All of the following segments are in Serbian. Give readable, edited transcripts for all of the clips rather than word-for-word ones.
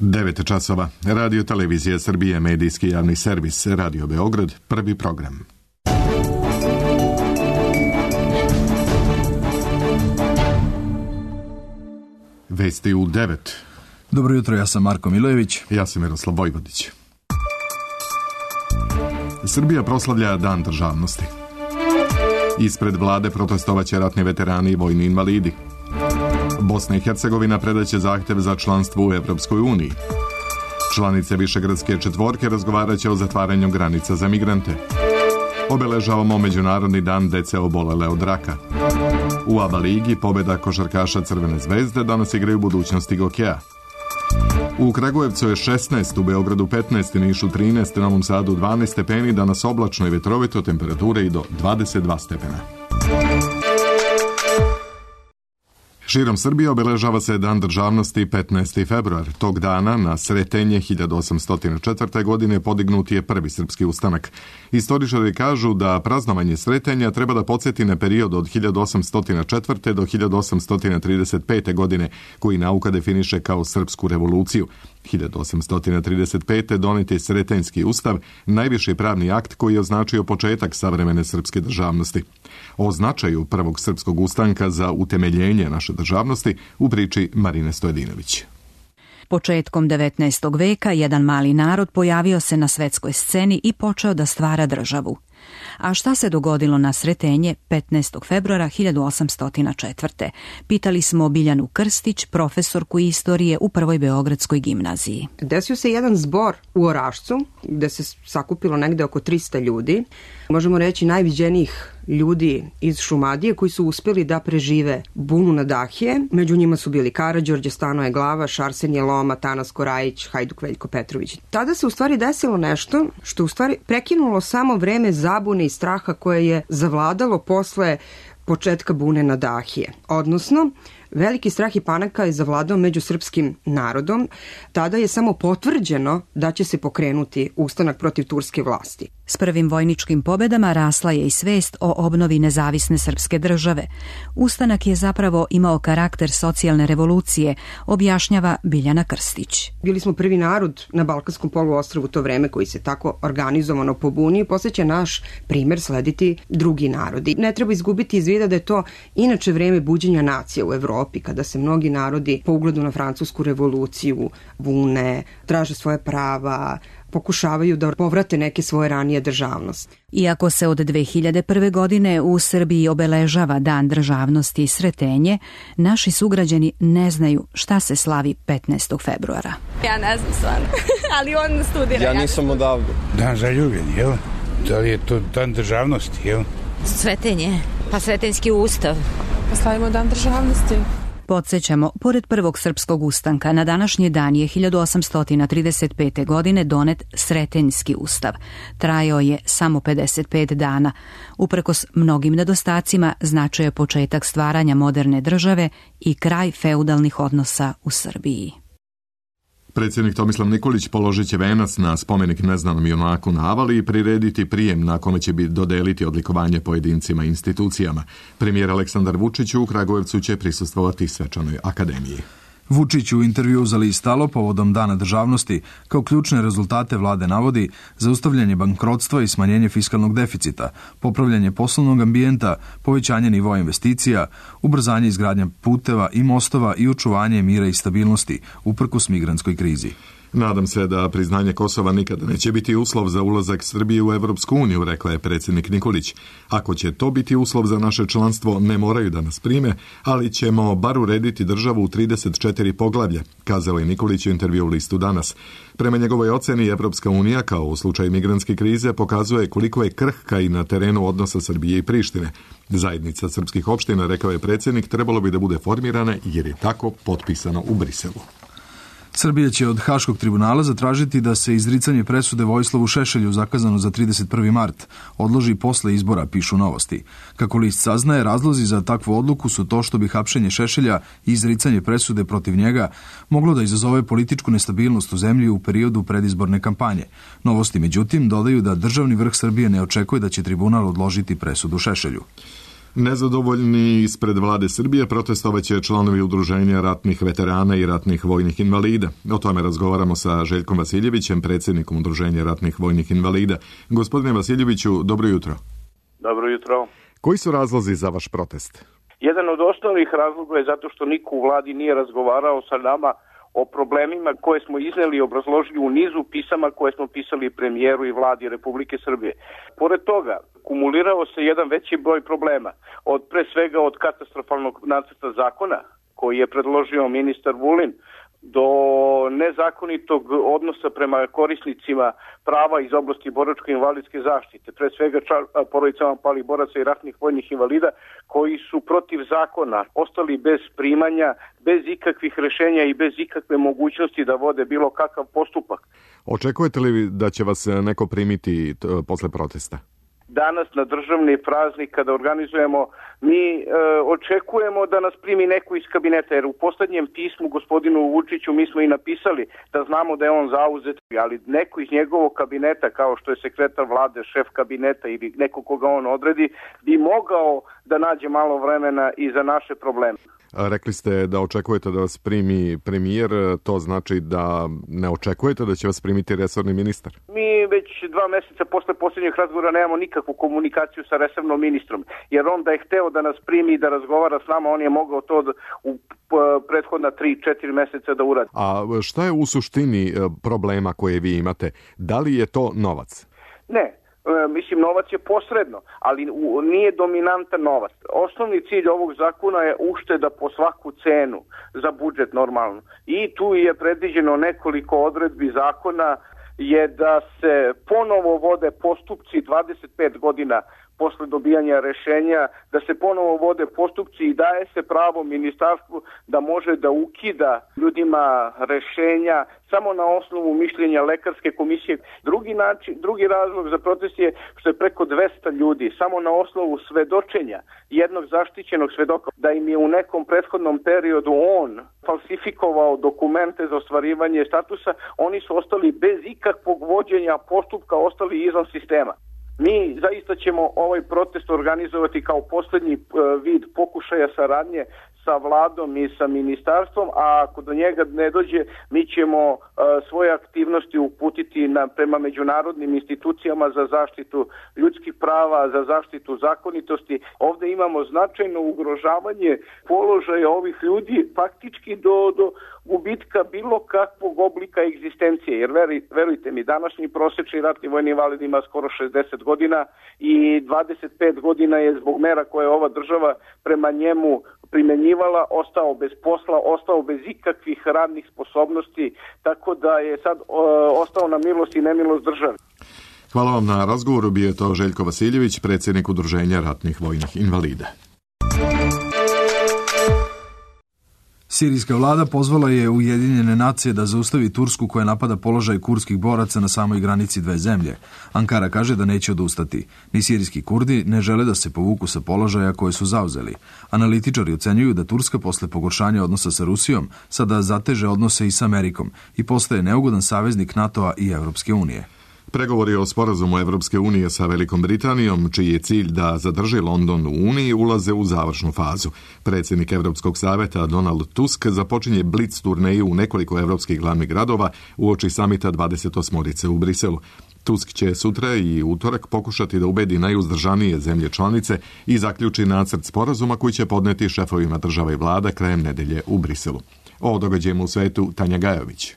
9 časova. Radio Televizija Srbije, medijski javni servis, Radio Beograd, prvi program. Vesti u 9. Dobro jutro, ja sam Marko Milojević. Ja sam Miroslav Vojvodić. Srbija proslavlja Dan državnosti. Ispred vlade protestovaće ratni veterani i vojni invalidi. Bosna i Hercegovina predaće zahtev za članstvo u Evropskoj uniji. Članice Višegradske četvorke razgovaraće o zatvaranju granica za migrante. Obeležavamo Međunarodni dan dece obolele od raka. U ABA ligi pobjeda košarkaša Crvene zvezde, danas igraju budućnosti hokeja. U Kragujevcu je 16, u Beogradu 15, Nišu 13, Novom Sadu 12 stepeni, danas oblačno i vetrovito, temperature i do 22 stepena. Širom Srbije obeležava se Dan državnosti 15. februar. Tog dana na Sretenje 1804. godine podignut je prvi srpski ustanak. Istoričari kažu da praznovanje Sretenja treba da podsjeti na period od 1804. do 1835. godine, koji nauka definiše kao srpsku revoluciju. 1835. donet je Sretenjski ustav, najviši pravni akt koji je označio početak savremene srpske državnosti. O značaju prvog srpskog ustanka za utemeljenje naše državnosti u priči Marine Stojedinović. Početkom 19. veka jedan mali narod pojavio se na svetskoj sceni i počeo da stvara državu. A šta se dogodilo na Sretenje 15. februara 1804. Pitali smo Biljanu Krstić, profesorku istorije u Prvoj beogradskoj gimnaziji. Desio se jedan zbor u Orašcu, gde se sakupilo negde oko 300 ljudi. Možemo reći najviđenijih ljudi iz Šumadije koji su uspeli da prežive bunu na Dahije. Među njima su bili Karađorđe, Stanoje Glavaš, Arsenije Loma, Tanas Korajić, Hajduk Veljko Petrović. Tada se u stvari desilo nešto što u stvari prekinulo samo vreme zabune i straha koje je zavladalo posle početka bune na Dahije. Odnosno, veliki strah i panika je zavladao među srpskim narodom. Tada je samo potvrđeno da će se pokrenuti ustanak protiv turske vlasti. S prvim vojničkim pobedama rasla je i svest o obnovi nezavisne srpske države. Ustanak je zapravo imao karakter socijalne revolucije, objašnjava Biljana Krstić. Bili smo prvi narod na Balkanskom poluostrvu u to vreme koji se tako organizovano pobunio i poslije će naš primer slediti drugi narodi. Ne treba izgubiti iz vida da je to inače vreme buđenja nacije u Evropi, kada se mnogi narodi po ugledu na francusku revoluciju bune, traže svoje prava, pokušavaju da povrate neke svoje ranije državnosti. Iako se od 2001. godine u Srbiji obeležava Dan državnosti i Sretenje, naši sugrađani ne znaju šta se slavi 15. februara. Ja ne znam stvarno, ali on studira. Ja nisam odavde. Dan zaljubljen, jel? Da li je to Dan državnosti, jel? Sretenje, pa Sretenjski ustav. Pa slavimo Dan državnosti. Podsjećamo, pored prvog srpskog ustanka, na današnji dan je 1835. godine donet Sretenjski ustav. Trajao je samo 55 dana. Uprkos mnogim nedostacima, značio je početak stvaranja moderne države i kraj feudalnih odnosa u Srbiji. Predsjednik Tomislav Nikolić položit će venac na spomenik neznanom junaku na Avali i prirediti prijem na kome će dodeliti odlikovanje pojedincima i institucijama. Premijer Aleksandar Vučić u Kragujevcu će prisustvovati svečanoj akademiji. Vučić u intervjuu za list Alo povodom Dana državnosti kao ključne rezultate vlade navodi zaustavljanje bankrotstva i smanjenje fiskalnog deficita, popravljanje poslovnog ambijenta, povećanje nivoa investicija, ubrzanje izgradnje puteva i mostova i očuvanje mira i stabilnosti uprkos migrantskoj krizi. Nadam se da priznanje Kosova nikada neće biti uslov za ulazak Srbije u Evropsku uniju, rekla je predsjednik Nikolić. Ako će to biti uslov za naše članstvo, ne moraju da nas prime, ali ćemo bar urediti državu u 34 poglavlja, kazao je Nikolić u intervju u listu Danas. Prema njegovoj oceni, Evropska unija, kao u slučaju migrantske krize, pokazuje koliko je krhka i na terenu odnosa Srbije i Prištine. Zajednica srpskih opština, rekao je predsjednik, trebalo bi da bude formirana jer je tako potpisano u Briselu. Srbija će od Haškog tribunala zatražiti da se izricanje presude Vojislavu Šešelju zakazano za 31. mart odloži posle izbora, pišu Novosti. Kako list saznaje, razlozi za takvu odluku su to što bi hapšenje Šešelja i izricanje presude protiv njega moglo da izazove političku nestabilnost u zemlji u periodu predizborne kampanje. Novosti, međutim, dodaju da državni vrh Srbije ne očekuje da će tribunal odložiti presudu Šešelju. Nezadovoljni ispred vlade Srbije protestovaće članovi udruženja ratnih veterana i ratnih vojnih invalida. O tome razgovaramo sa Željkom Vasiljevićem, predsjednikom udruženja ratnih vojnih invalida. Gospodine Vasiljeviću, dobro jutro. Dobro jutro. Koji su razlozi za vaš protest? Jedan od osnovnih razloga je zato što niko u vladi nije razgovarao sa nama o problemima koje smo izneli i obrazložili u nizu pisama koje smo pisali premijeru i vladi Republike Srbije. Pored toga, kumulirao se jedan veći broj problema, pre svega od katastrofalnog nacrta zakona koji je predložio ministar Vulin, do nezakonitog odnosa prema korisnicima prava iz oblasti boračko-invalidske zaštite, pre svega porodicama palih boraca i ratnih vojnih invalida koji su protiv zakona ostali bez primanja, bez ikakvih rešenja i bez ikakve mogućnosti da vode bilo kakav postupak. Očekujete li da će vas neko primiti posle protesta? Danas na državni praznik kada organizujemo, mi očekujemo da nas primi neko iz kabineta, jer u poslednjem pismu gospodinu Vučiću mi smo i napisali da znamo da je on zauzet, ali neko iz njegovog kabineta, kao što je sekretar vlade, šef kabineta ili neko koga on odredi, bi mogao da nađe malo vremena i za naše probleme. Rekli ste da očekujete da vas primi premijer, to znači da ne očekujete da će vas primiti resorni ministar? Mi već 2 meseca posle posljednjeg razgovora nemamo nikakvu komunikaciju sa resornom ministrom, jer on da je hteo da nas primi i da razgovara s nama, on je mogao to u prethodna 3-4 meseca da uradi. A šta je u suštini problema koje vi imate? Da li je to novac? Ne. Mislim, novac je posredno, ali nije dominantan novac. Osnovni cilj ovog zakona je ušteda po svaku cenu za budžet normalno. I tu je predviđeno nekoliko odredbi zakona je da se ponovo vode postupci 25 godina posle dobijanja rešenja, da se ponovo vode postupci i daje se pravo ministarstvu da može da ukida ljudima rešenja samo na osnovu mišljenja lekarske komisije. Drugi razlog za protest je što je preko 200 ljudi samo na osnovu svedočenja jednog zaštićenog svedoka da im je u nekom prethodnom periodu on falsifikovao dokumente za ostvarivanje statusa, oni su ostali bez ikakvog vođenja postupka, ostali izvan sistema. Mi zaista ćemo ovaj protest organizovati kao poslednji vid pokušaja saradnje sa vladom i sa ministarstvom, a ako do njega ne dođe, mi ćemo svoje aktivnosti uputiti prema međunarodnim institucijama za zaštitu ljudskih prava, za zaštitu zakonitosti. Ovde imamo značajno ugrožavanje položaja ovih ljudi, faktički do gubitka bilo kakvog oblika egzistencije, jer verujte mi, današnji prosečni ratni vojni invalid ima skoro 60 godina i 25 godina je zbog mera koje ova država prema njemu primenjivala, ostao bez posla, ostao bez ikakvih radnih sposobnosti, tako da je sad ostao na milost i nemilost države. Hvala vam na razgovoru, bio je to Željko Vasiljević, predsjednik udruženja ratnih vojnih invalida. Sirijska vlada pozvala je Ujedinjene nacije da zaustavi Tursku koja napada položaj kurdskih boraca na samoj granici dve zemlje. Ankara kaže da neće odustati. Ni sirijski Kurdi ne žele da se povuku sa položaja koje su zauzeli. Analitičari ocenjuju da Turska posle pogoršanja odnosa sa Rusijom sada zateže odnose i sa Amerikom i postaje neugodan saveznik NATO-a i Evropske unije. Pregovori o sporazumu Evropske unije sa Velikom Britanijom, čiji je cilj da zadrži London u Uniji, ulaze u završnu fazu. Predsjednik Evropskog saveta Donald Tusk započinje blic turneju u nekoliko evropskih glavnih gradova uoči samita 28. u Briselu. Tusk će sutra i utorak pokušati da ubedi najuzdržanije zemlje članice i zaključi nacrt sporazuma koji će podneti šefovima država i vlada krajem nedelje u Briselu. O događajima u svetu Tanja Gajović.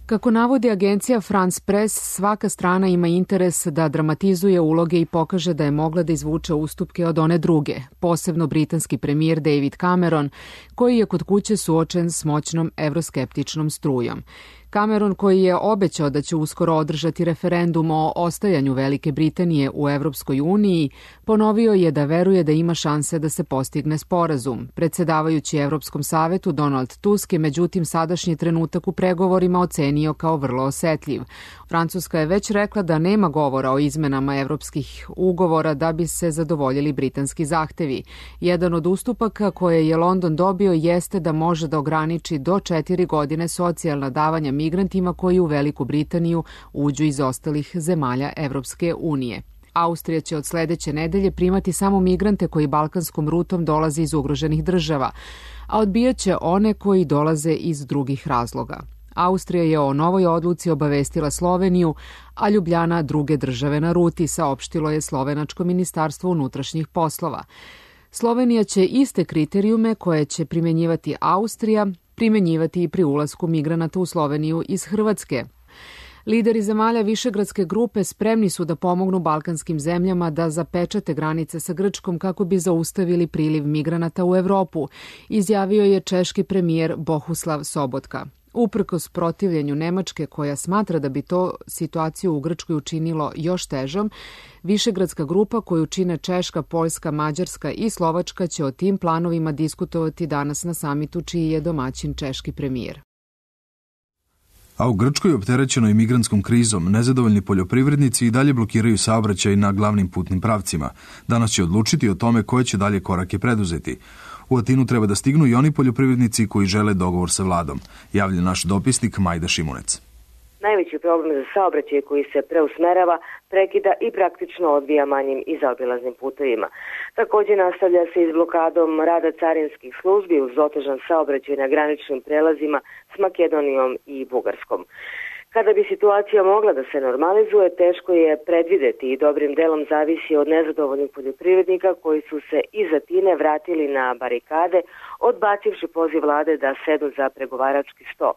Kako navodi agencija France Press, svaka strana ima interes da dramatizuje uloge i pokaže da je mogla da izvuče ustupke od one druge, posebno britanski premijer David Cameron, koji je kod kuće suočen s moćnom evroskeptičnom strujom. Cameron, koji je obećao da će uskoro održati referendum o ostajanju Velike Britanije u Evropskoj uniji, ponovio je da veruje da ima šanse da se postigne sporazum. Predsjedavajući Evropskom savetu Donald Tusk je međutim sadašnji trenutak u pregovorima ocenio kao vrlo osetljiv. Francuska je već rekla da nema govora o izmenama evropskih ugovora da bi se zadovoljili britanski zahtevi. Jedan od ustupaka koje je London dobio jeste da može da ograniči do 4 godine socijalna davanja migrantima koji u Veliku Britaniju uđu iz ostalih zemalja Evropske unije. Austrija će od sledeće nedelje primati samo migrante koji balkanskom rutom dolaze iz ugroženih država, a odbijaće one koji dolaze iz drugih razloga. Austrija je o novoj odluci obavestila Sloveniju, a Ljubljana druge države na ruti, saopštilo je slovenačko ministarstvo unutrašnjih poslova. Slovenija će iste kriterijume koje će primenjivati Austrija primenjivati i pri ulasku migranata u Sloveniju iz Hrvatske. Lideri zemalja Višegradske grupe spremni su da pomognu balkanskim zemljama da zapečate granice sa Grčkom kako bi zaustavili priliv migranata u Evropu, izjavio je češki premijer Bohuslav Sobotka. Uprkos protivljenju Nemačke, koja smatra da bi to situaciju u Grčkoj učinilo još težom, Višegradska grupa koju čine Češka, Poljska, Mađarska i Slovačka će o tim planovima diskutovati danas na samitu čiji je domaćin češki premijer. A u Grčkoj, opterećenoj migrantskom krizom, nezadovoljni poljoprivrednici i dalje blokiraju saobraćaj na glavnim putnim pravcima. Danas će odlučiti o tome koje će dalje korake preduzeti. U Atinu treba da stignu i oni poljoprivrednici koji žele dogovor sa vladom, javlja naš dopisnik Majda Šimunec. Najveći problem za saobraćaj koji se preusmerava, prekida i praktično odvija manjim i zaobilaznim putevima. Također nastavlja se i s blokadom rada carinskih službi uz otežan saobraćaj na graničnim prelazima s Makedonijom i Bugarskom. Kada bi situacija mogla da se normalizuje, teško je predvideti i dobrim delom zavisi od nezadovoljnih poljoprivrednika koji su se iz Atine vratili na barikade, odbacivši poziv vlade da sedu za pregovarački sto.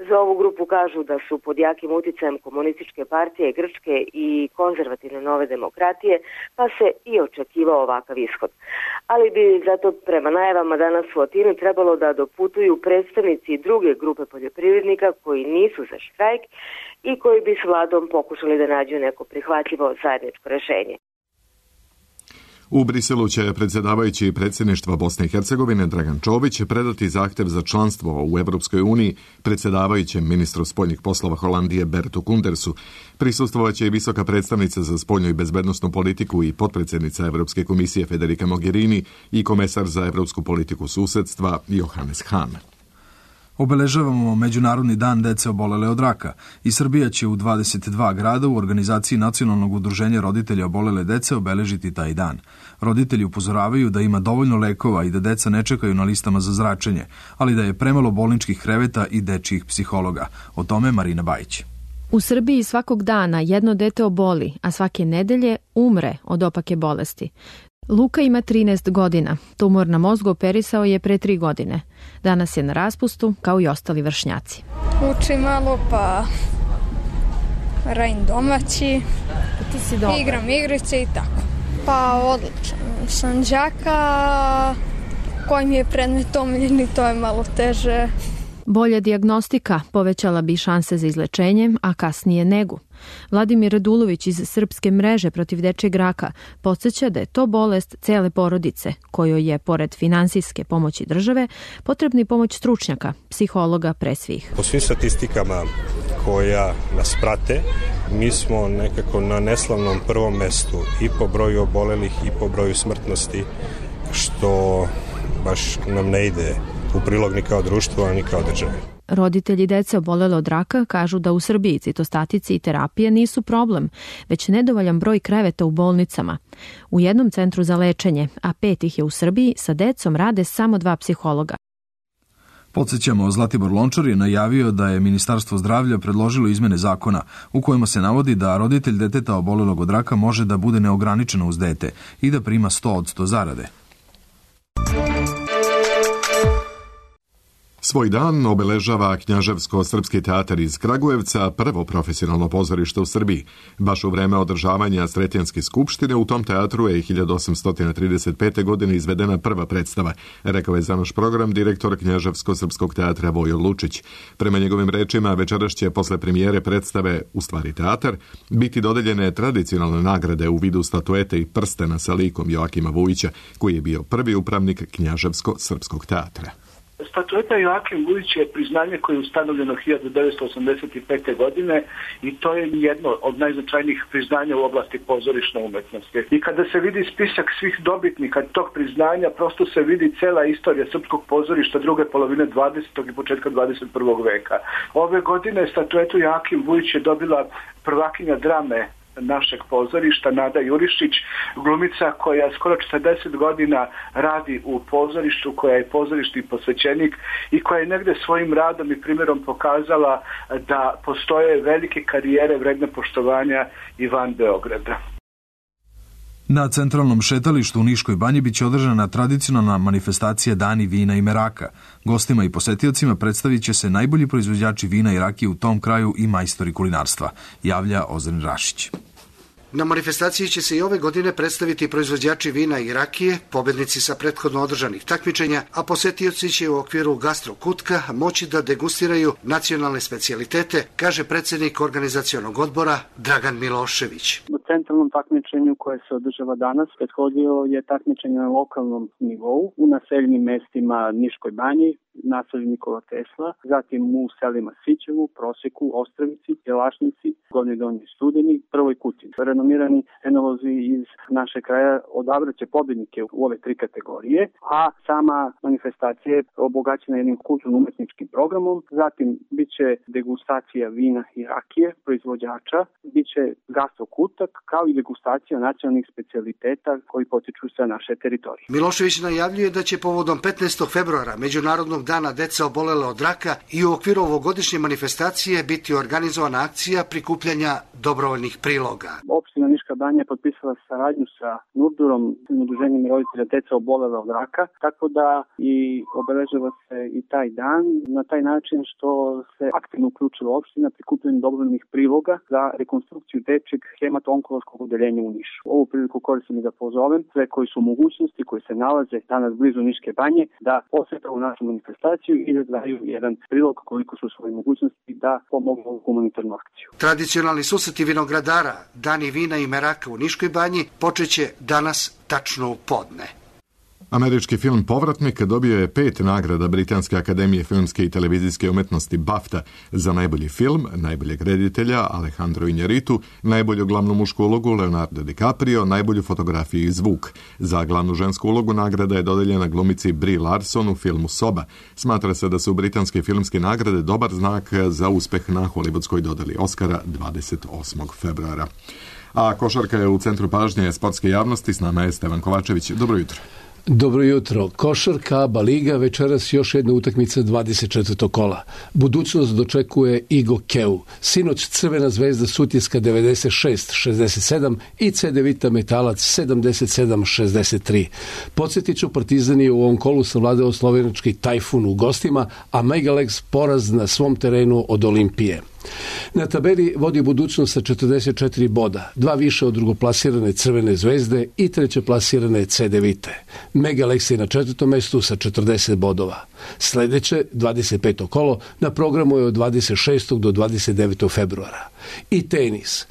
Za ovu grupu kažu da su pod jakim uticajem komunističke partije Grčke i konzervativne nove demokratije, pa se i očekivao ovakav ishod. Ali bi zato prema najavama danas u Atinu trebalo da doputuju predstavnici druge grupe poljoprivrednika koji nisu za štrajk i koji bi s vladom pokušali da nađu neko prihvatljivo zajedničko rešenje. U Briselu će predsjedavajući predsjedništva Bosne i Hercegovine Dragan Čović predati zahtev za članstvo u Evropskoj uniji predsjedavajućem ministru spoljnih poslova Holandije Bertu Kundersu. Prisustvovaće i visoka predstavnica za spoljnu i bezbednosnu politiku i potpredsjednica Evropske komisije Federica Mogherini i komesar za evropsku politiku susedstva Johannes Hahn. Obeležavamo Međunarodni dan dece obolele od raka i Srbija će u 22 grada u organizaciji Nacionalnog udruženja roditelja obolele dece obeležiti taj dan. Roditelji upozoravaju da ima dovoljno lekova i da deca ne čekaju na listama za zračenje, ali da je premalo bolničkih kreveta i dečijih psihologa. O tome Marina Bajić. U Srbiji svakog dana jedno dete oboli, a svake nedelje umre od opake bolesti. Luka ima 13 godina. Tumor na mozgu operisao je pre 3 godine. Danas je na raspustu, kao i ostali vršnjaci. Učim malo, pa radim domaći, ti si dobar. Igram igrice i tako. Pa odlično. Sam đaka, koji mi je predmet omiljeni, to je malo teže. Bolja dijagnostika povećala bi šanse za izlečenje, a kasnije negu. Vladimir Radulović iz Srpske mreže protiv dečijeg raka podsjeća da je to bolest cele porodice, kojoj je, pored finansijske pomoći države, potrebna i pomoć stručnjaka, psihologa pre svih. Po svim statistikama koja nas prate, mi smo nekako na neslavnom prvom mestu i po broju obolelih i po broju smrtnosti, što baš nam ne ide u prilog ni kao društvo, ani kao države. Roditelji dece obolele od raka kažu da u Srbiji citostatici i terapija nisu problem, već nedovoljan broj kreveta u bolnicama. U jednom centru za lečenje, a 5 ih je u Srbiji, sa decom rade samo 2 psihologa. Podsjećamo, Zlatibor Lončar je najavio da je Ministarstvo zdravlja predložilo izmene zakona u kojima se navodi da roditelj deteta obolelog od raka može da bude neograničeno uz dete i da prima 100% zarade. Svoj dan obeležava Knjaževsko-srpski teatar iz Kragujevca, prvo profesionalno pozorište u Srbiji. Baš u vreme održavanja Sretenjske skupštine u tom teatru je 1835. godine izvedena prva predstava, rekao je za naš program direktor Knjaževsko-srpskog teatra Vojo Lučić. Prema njegovim rečima, večeras će posle premijere predstave U stvari teatar biti dodeljene tradicionalne nagrade u vidu statuete i prstena sa likom Joakima Vujića, koji je bio prvi upravnik Knjaževsko-srpskog teatra. Statueta Joakim Vujić je priznanje koje je ustanovljeno 1985. godine i to je jedno od najznačajnijih priznanja u oblasti pozorišne umetnosti. I kada se vidi spisak svih dobitnika tog priznanja, prosto se vidi cela istorija srpskog pozorišta druge polovine 20. i početka 21. veka. Ove godine statuetu Joakim Vujić je dobila prvakinja drame našeg pozorišta, Nada Jurišić, glumica koja skoro 40 godina radi u pozorištu, koja je pozorišni posvećenik i koja je negde svojim radom i primjerom pokazala da postoje velike karijere vredne poštovanja i van Beograda. Na centralnom šetalištu u Niškoj banji biće održana tradicionalna manifestacija Dani vina i meraka. Gostima i posetiocima predstavit će se najbolji proizvođači vina i rakije u tom kraju i majstori kulinarstva, javlja Ozren Rašić. Na manifestaciji će se i ove godine predstaviti proizvođači vina i rakije, pobednici sa prethodno održanih takmičenja, a posetioci će u okviru Gastro Kutka moći da degustiraju nacionalne specijalitete, kaže predsjednik organizacionog odbora Dragan Milošević. U centralnom takmičenju koje se održava danas prethodio je takmičenje na lokalnom nivou u naseljenim mestima Niškoj banji, naselju Nikola Tesla, zatim u selima Sićevu, Proseku, Ostravici, Jelašnici, Gornjoj Donjoj Studeni, Prvoj Kutini. Renomirani enolozi iz naše kraja odabraće pobjednike u ove 3 kategorije, a sama manifestacija je obogaćena jednim kulturno-umetničkim programom, zatim biće degustacija vina i rakije proizvođača, biće gastro kutak, kao i degustacija nacionalnih specijaliteta koji potiču sa naše teritorije. Milošević najavljuje da će povodom 15. februara Međunarodnog dana deca obolele od raka i u okviru ovogodišnje manifestacije biti organizovana akcija prikupljanja dobrovoljnih priloga. Opština Niška banja je potpisala saradnju sa Nurdurom, udruženjem roditelja deca obolele od raka, tako da i obeležava se i taj dan na taj način što se aktivno uključila opština prikupljanjem dobrovoljnih priloga za rekonstrukciju dečjeg hemato-onkološkog odeljenja u Nišu. Ovu priliku koristim i da pozovem sve koji su u mogućnosti, koji se nalaze danas blizu Niške banje, da posete u našu manifestaciju i da daju jedan prilog koliko su svoje mogućnosti da pomogu u humanitarnu akciju. Tradicionalni susreti vinogradara, Dani vina i meraka u Niškoj banji počeće danas tačno u podne. Američki film Povratnik dobio je 5 nagrada Britanske akademije filmske i televizijske umetnosti BAFTA za najbolji film, najboljeg reditelja Alejandro Iñárritu, najbolju glavnu mušku ulogu Leonardo DiCaprio, najbolju fotografiju i zvuk. Za glavnu žensku ulogu nagrada je dodeljena glumici Brie Larson u filmu Soba. Smatra se da su britanske filmske nagrade dobar znak za uspeh na hollywoodskoj dodeli Oscara 28. februara. A košarka je u centru pažnje sportske javnosti. S nama je Stevan Kovačević. Dobro jutro. Dobro jutro. Košarka, ABA liga, večeras još jedna utakmica 24. kola. Budućnost dočekuje Igo Keu. Sinoć Crvena zvezda Sutjeska 96-67 i Cedevita Metalac 77-63. Podsjetit ću, Partizan je u ovom kolu savladao slovenački Tajfun u gostima, a Megalex poraz na svom terenu od Olimpije. Na tabeli vodi Budućnost sa 44 boda, 2 više od drugoplasirane Crvene zvezde i trećeplasirane Cedevite. Megalex je na 4. mestu sa 40 bodova. Sljedeće, 25. kolo, na programu je od 26. do 29. februara. I tenis.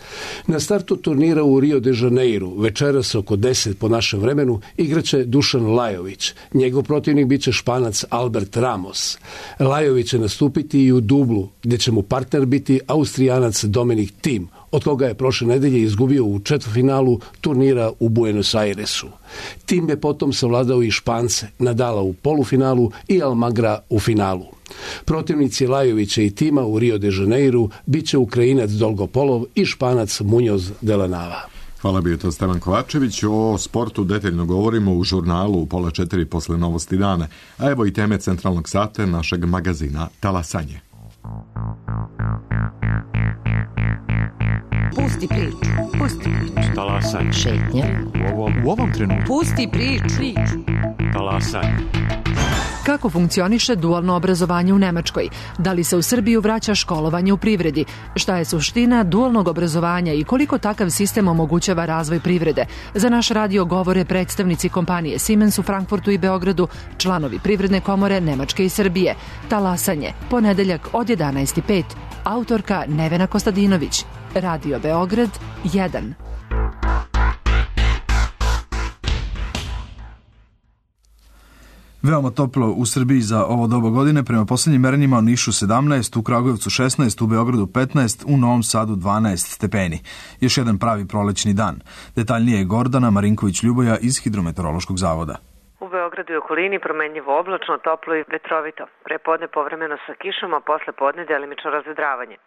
Na startu turnira u Rio de Janeiro, večeras oko 10 po našem vremenu, igraće Dušan Lajović. Njegov protivnik biće Španac Albert Ramos. Lajović će nastupiti i u dublu, gdje će mu partner biti Austrijanac Dominik Thiem, od koga je prošle nedelje izgubio u četvrtfinalu turnira u Buenos Airesu. Thiem je potom savladao i Špance, Nadala u polufinalu i Almagra u finalu. Protivnici Lajovića i Thiema u Rio de Janeiro bit će Ukrajinac Dolgopolov i Španac Muñoz de la Nava. Hvala, bio to Stevan Kovačević. O sportu detaljno govorimo u žurnalu u 3:30 posle novosti dana. A evo i teme centralnog sata našeg magazina Talasanje. Pusti priču. Pusti priču. Talasanje. Šetnja. U ovom trenutku. Pusti priču. Talasanje. Kako funkcioniše dualno obrazovanje u Nemačkoj? Da li se u Srbiju vraća školovanje u privredi? Šta je suština dualnog obrazovanja i koliko takav sistem omogućava razvoj privrede? Za naš radio govore predstavnici kompanije Siemens u Frankfurtu i Beogradu, članovi Privredne komore Nemačke i Srbije. Talasanje, ponedeljak od 11:05. Autorka Nevena Kostadinović. Radio Beograd 1. Veoma toplo u Srbiji za ovo doba godine. Prema posljednjim merenjima u Nišu 17, u Kragujevcu 16, u Beogradu 15, u Novom Sadu 12 stepeni. Još jedan pravi prolećni dan. Detaljnije je Gordana Marinković-Ljuboja iz Hidrometeorološkog zavoda. U Beogradu i okolini promenljivo oblačno, toplo i vetrovito. Prepodne povremeno sa kišom, a posle podne delimično razvedravanje.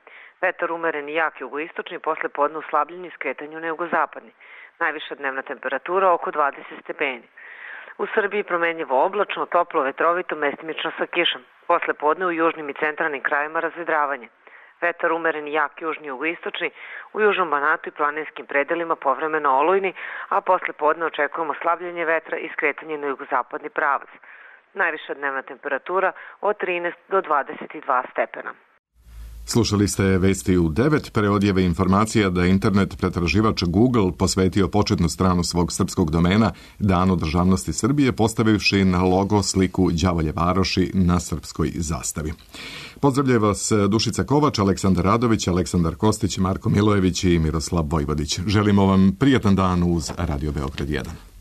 Vetar umeren i jak jugoistočni, posle podne uslabljen i skretanju na jugozapadni. Najviša dnevna temperatura oko 20 stepeni. U Srbiji promenljivo oblačno, toplo, vetrovito, mestimično sa kišom. Posle podne u južnim i centralnim krajima razvedravanje. Vetar umeren i jak južni jugoistočni, u južnom Banatu i planinskim predelima povremeno olujni, a posle podne očekujemo slabljenje vetra i skretanje na jugozapadni pravac. Najviša dnevna temperatura od 13 do 22 stepena. Slušali ste vesti u 9, pre odjeve informacija da internet pretraživač Google posvetio početnu stranu svog srpskog domena Danu državnosti Srbije, postavivši na logo sliku Đavolje varoši na srpskoj zastavi. Pozdravljaju vas Dušica Kovač, Aleksandar Radović, Aleksandar Kostić, Marko Milojević i Miroslav Vojvodić. Želimo vam prijatan dan uz Radio Beograd 1.